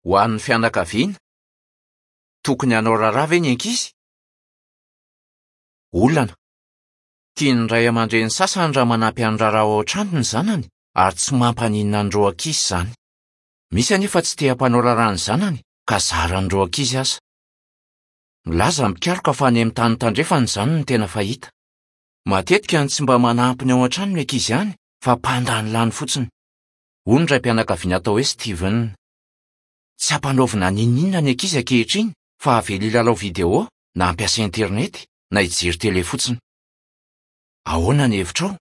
Ho an'ny fianakaviana, tokony hanao raharaha ve ny ankizy? Olana. Tian'ny ray aman-dreny sasany raha manampy amin'ny raharaha ao an-trano ny zanany ary tsy mampaninona an'ireo ankizy izany. Misy anefa tsy te hampanao raharaha ny zanany ka zaran'ireo ankizy aza. Milaza ny mpikaroka fa any amin'ny tany tandrefana izany no tena fahita. Matetika no tsy mba manampy ny ao an-trano ny ankizy any fa mpandanilany fotsiny. Hoy ny raim-pianakaviana atao hoe Steven. Tsy ampanaovina n'inon'inona ny ankizy ankehitriny fa avela hilalao video na hampiasa internet na hijery tele fotsiny. Ahoana ny hevitrao?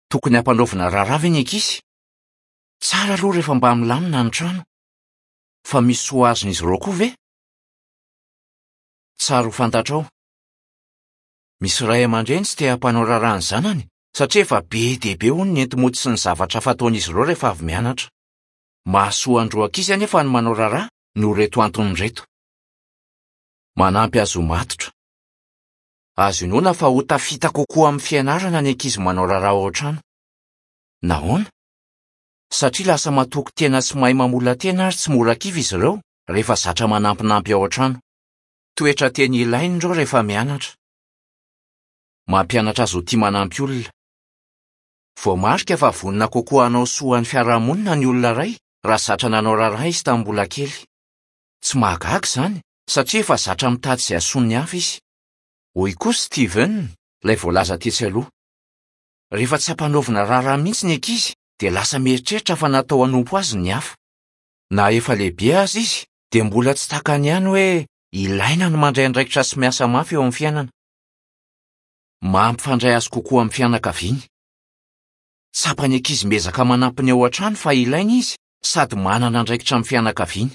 Tokony hampanaovina raharaha ve ny ankizy? Tsara aloha rehefa mba milamina ny trano. Fa misy soa azon'izy ireo koa ve? Tsara ho fantatrao. Misy ray aman-dreny tsy te hampanao raharaha ny zanany satria efa be dia be hono ny enti-mody sy ny zavatra hafa ataon'izy ireo rehefa avy mianatra. Mahasoa an'ireo ankizy anefa ny manao raharaha noho ireto antony ireto. Manampy azy ho matotra. Azo inoana fa ho tafita kokoa amin'ny fianarana ny ankizy manao raharaha ao an-trano. Nahoana? Satria lasa matoky tena sy mahay mamola-tena ary tsy mora kivy izy ireo rehefa zatra manampinampy ao an-trano. Toetra tena ilaina ireo rehefa mianatra. Mampianatra azy ho tia manampy olona. Voamarika fa vonona kokoa hanao soa ny fiarahamonina ny olona iray raha zatra nanao raharaha izy tamin'ny mbola kely. Tsy mahagaga izany satria efa zatra mitady izay hahasoa ny hafa izy. Hoy koa Steven, ilay voalaza tetsy aloha, Rehefa tsy ampanaovina raharaha mihitsy ny ankizy dia lasa mieritreritra fa natao hanompo azy ny hafa. Na efa lehibe aza izy dia mbola tsy takany ihany hoe ilaina ny mandray andraikitra sy miasa mafy eo amin'ny fiainana. Mampifandray azy kokoa amin'ny fianakaviany. Tsapan'ny ankizy miezaka manampy ny ao an-trano fa ilaina izy sady manana andraikitra amin'ny fianakaviany.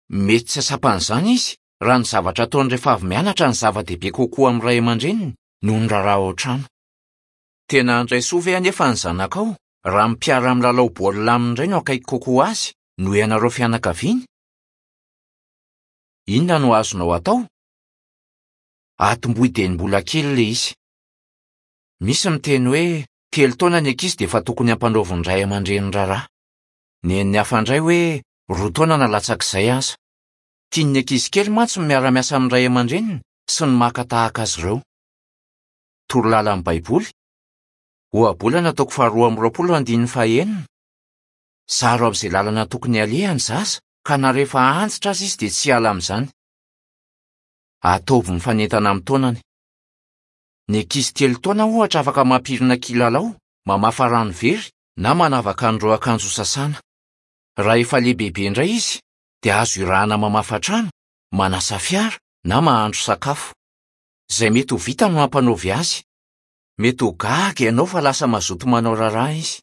Mety tsy hahatsapa an'izany izy raha ny zavatra ataony rehefa avy mianatra no zava-dehibe kokoa amin'ny ray aman-dreniny noho ny raharaha ao an-trano. Tena handray soa ve anefa ny zanakao raha ny mpiara-milalao baolina aminy indray no akaiky kokoa azy noho ianareo fianakaviany? Inona no azonao atao? Atombohy dieny mbola kely ilay izy. Misy miteny hoe telo taona ny ankizy dia efa tokony hampanaovin'ny ray aman-dreny raharaha. Nen'ny hafa indray hoe roa taona na latsak'izay aza. Tian'ny ankizy kely mantsy ny miara-miasa amin'ny ray aman-dreniny sy ny maka tahaka azy ireo. Torolalan'ny Baiboly, Ohabolana toko faharoa amby roapolo andininy fahenina, Zaro amin'izay lalana tokony haleha ny zaza, ka na rehefa antitra aza izy dia tsy hiala amin'izany. Ataovy mifanentana amin'ny taonany. Ny ankizy telo taona ohatra afaka mampirina kilalao, mamafa rano very, na manavaka an'ireo akanjo sasana. Raha efa lehibebe indray izy, dia azo irahana mamafa trano, manasa fiara, na mahandro sakafo. Izay mety ho vita no ampanaovy azy. Mety ho gaga ianao fa lasa mazoto manao raharaha izy.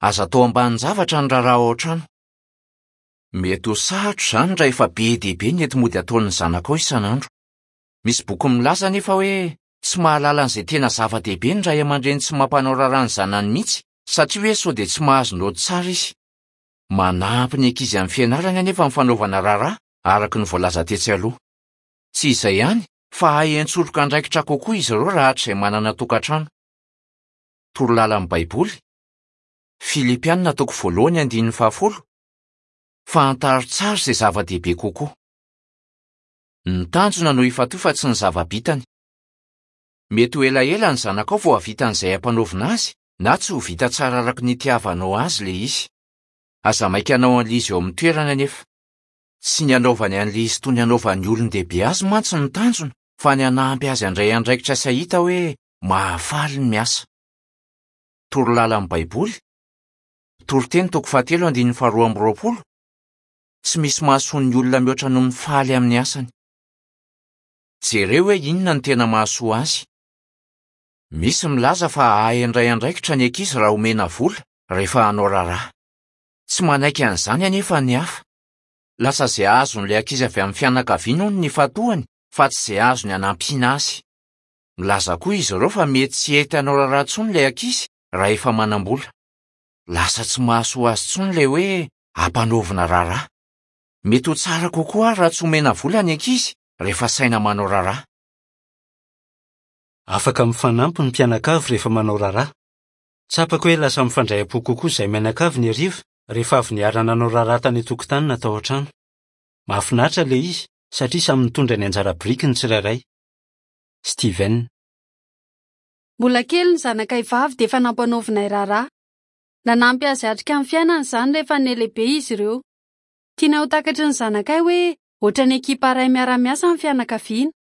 Aza atao ambanin-javatra ny raharaha ao an-trano. Mety ho sarotra izany raha efa be dia be ny enti-mody ataon'ny zanakao isan'andro. Misy boky milaza anefa hoe tsy mahalala an'izay tena zava-dehibe ny ray aman-dreny tsy mampanao raharaha ny zanany mihitsy satria hoe sao dia tsy mahazo naoty tsara izy. Manampy ny ankizy amin'ny fianarany anefa ny fanaovana raharaha, araka ny voalaza tetsy aloha. Tsy izay ihany fa hahay hiantsoroka andraikitra kokoa izy ireo raha hatrizay manana tokantrano. Torolalan'ny Baiboly, Filipiana toko voalohany andininy fahafolo, Fantaro tsara izay zava-dehibe kokoa. Ny tanjona no ifantohy fa tsy ny zava-bitany. Mety ho elaela ny zanakao vao hahavita an'izay ampanaovina azy na tsy ho vita tsara araka ny itiavanao azy ilay izy. Aza maika hanao an'ilay izy eo amin'ny toerany anefa. Tsy ny hanaovany an'ilay izy toy ny anaovan'ny olon-dehibe azy mantsy no tanjona fa ny hanampy azy handray andraikitra sy hahita hoe mahafaly ny miasa. Torolalan'ny Baiboly, Toriteny toko fahatelo andininy faharoa amby roapolo, Tsy misy mahasoa ny olona mihoatra noho ny faly amin'ny asany. Jereo hoe inona no tena mahasoa azy. Misy milaza fa hahay handray andraikitra ny ankizy raha omena vola rehefa hanao raharaha. Tsy manaiky an'izany anefa ny hafa. Lasa izay azon'ilay ankizy avy amin'ny fianakaviany hono no ifantohany fa tsy izay azony hanampiana azy. Milaza koa izy ireo fa mety tsy hety hanao raharaha intsony ilay ankizy raha efa manam-bola. Lasa tsy mahasoa azy intsony ilay hoe ampanaovina raharaha. Mety ho tsara kokoa àry raha tsy omena vola ny ankizy rehefa asaina manao raharaha. Afaka mifanampy ny mpianakavy rehefa manao raharaha. Tsapako hoe lasa mifandray am-po kokoa izahay mianakavy ny hariva. Rehefa avy niara-nanao raharaha tany an-tokotany na tao an-trano. Mahafinaritra ilay izy satria samy nitondra ny anjara biriky ny tsirairay. Steven. Mbola kely ny zanakay vavy dia efa nampanaovinay raharaha. Nanampy azy hiatrika ny fiainana izany rehefa nihalehibe izy ireo. Tianay ho takatry ny zanakay hoe hoatran'ny ekipa iray miara-miasa ny fianakaviana.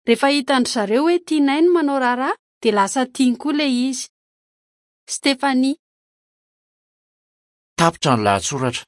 Rehefa hitan-dry zareo hoe tianay ny manao raharaha dia lasa tiany koa ilay izy. Stephanie. Tapitra ny lahatsoratra.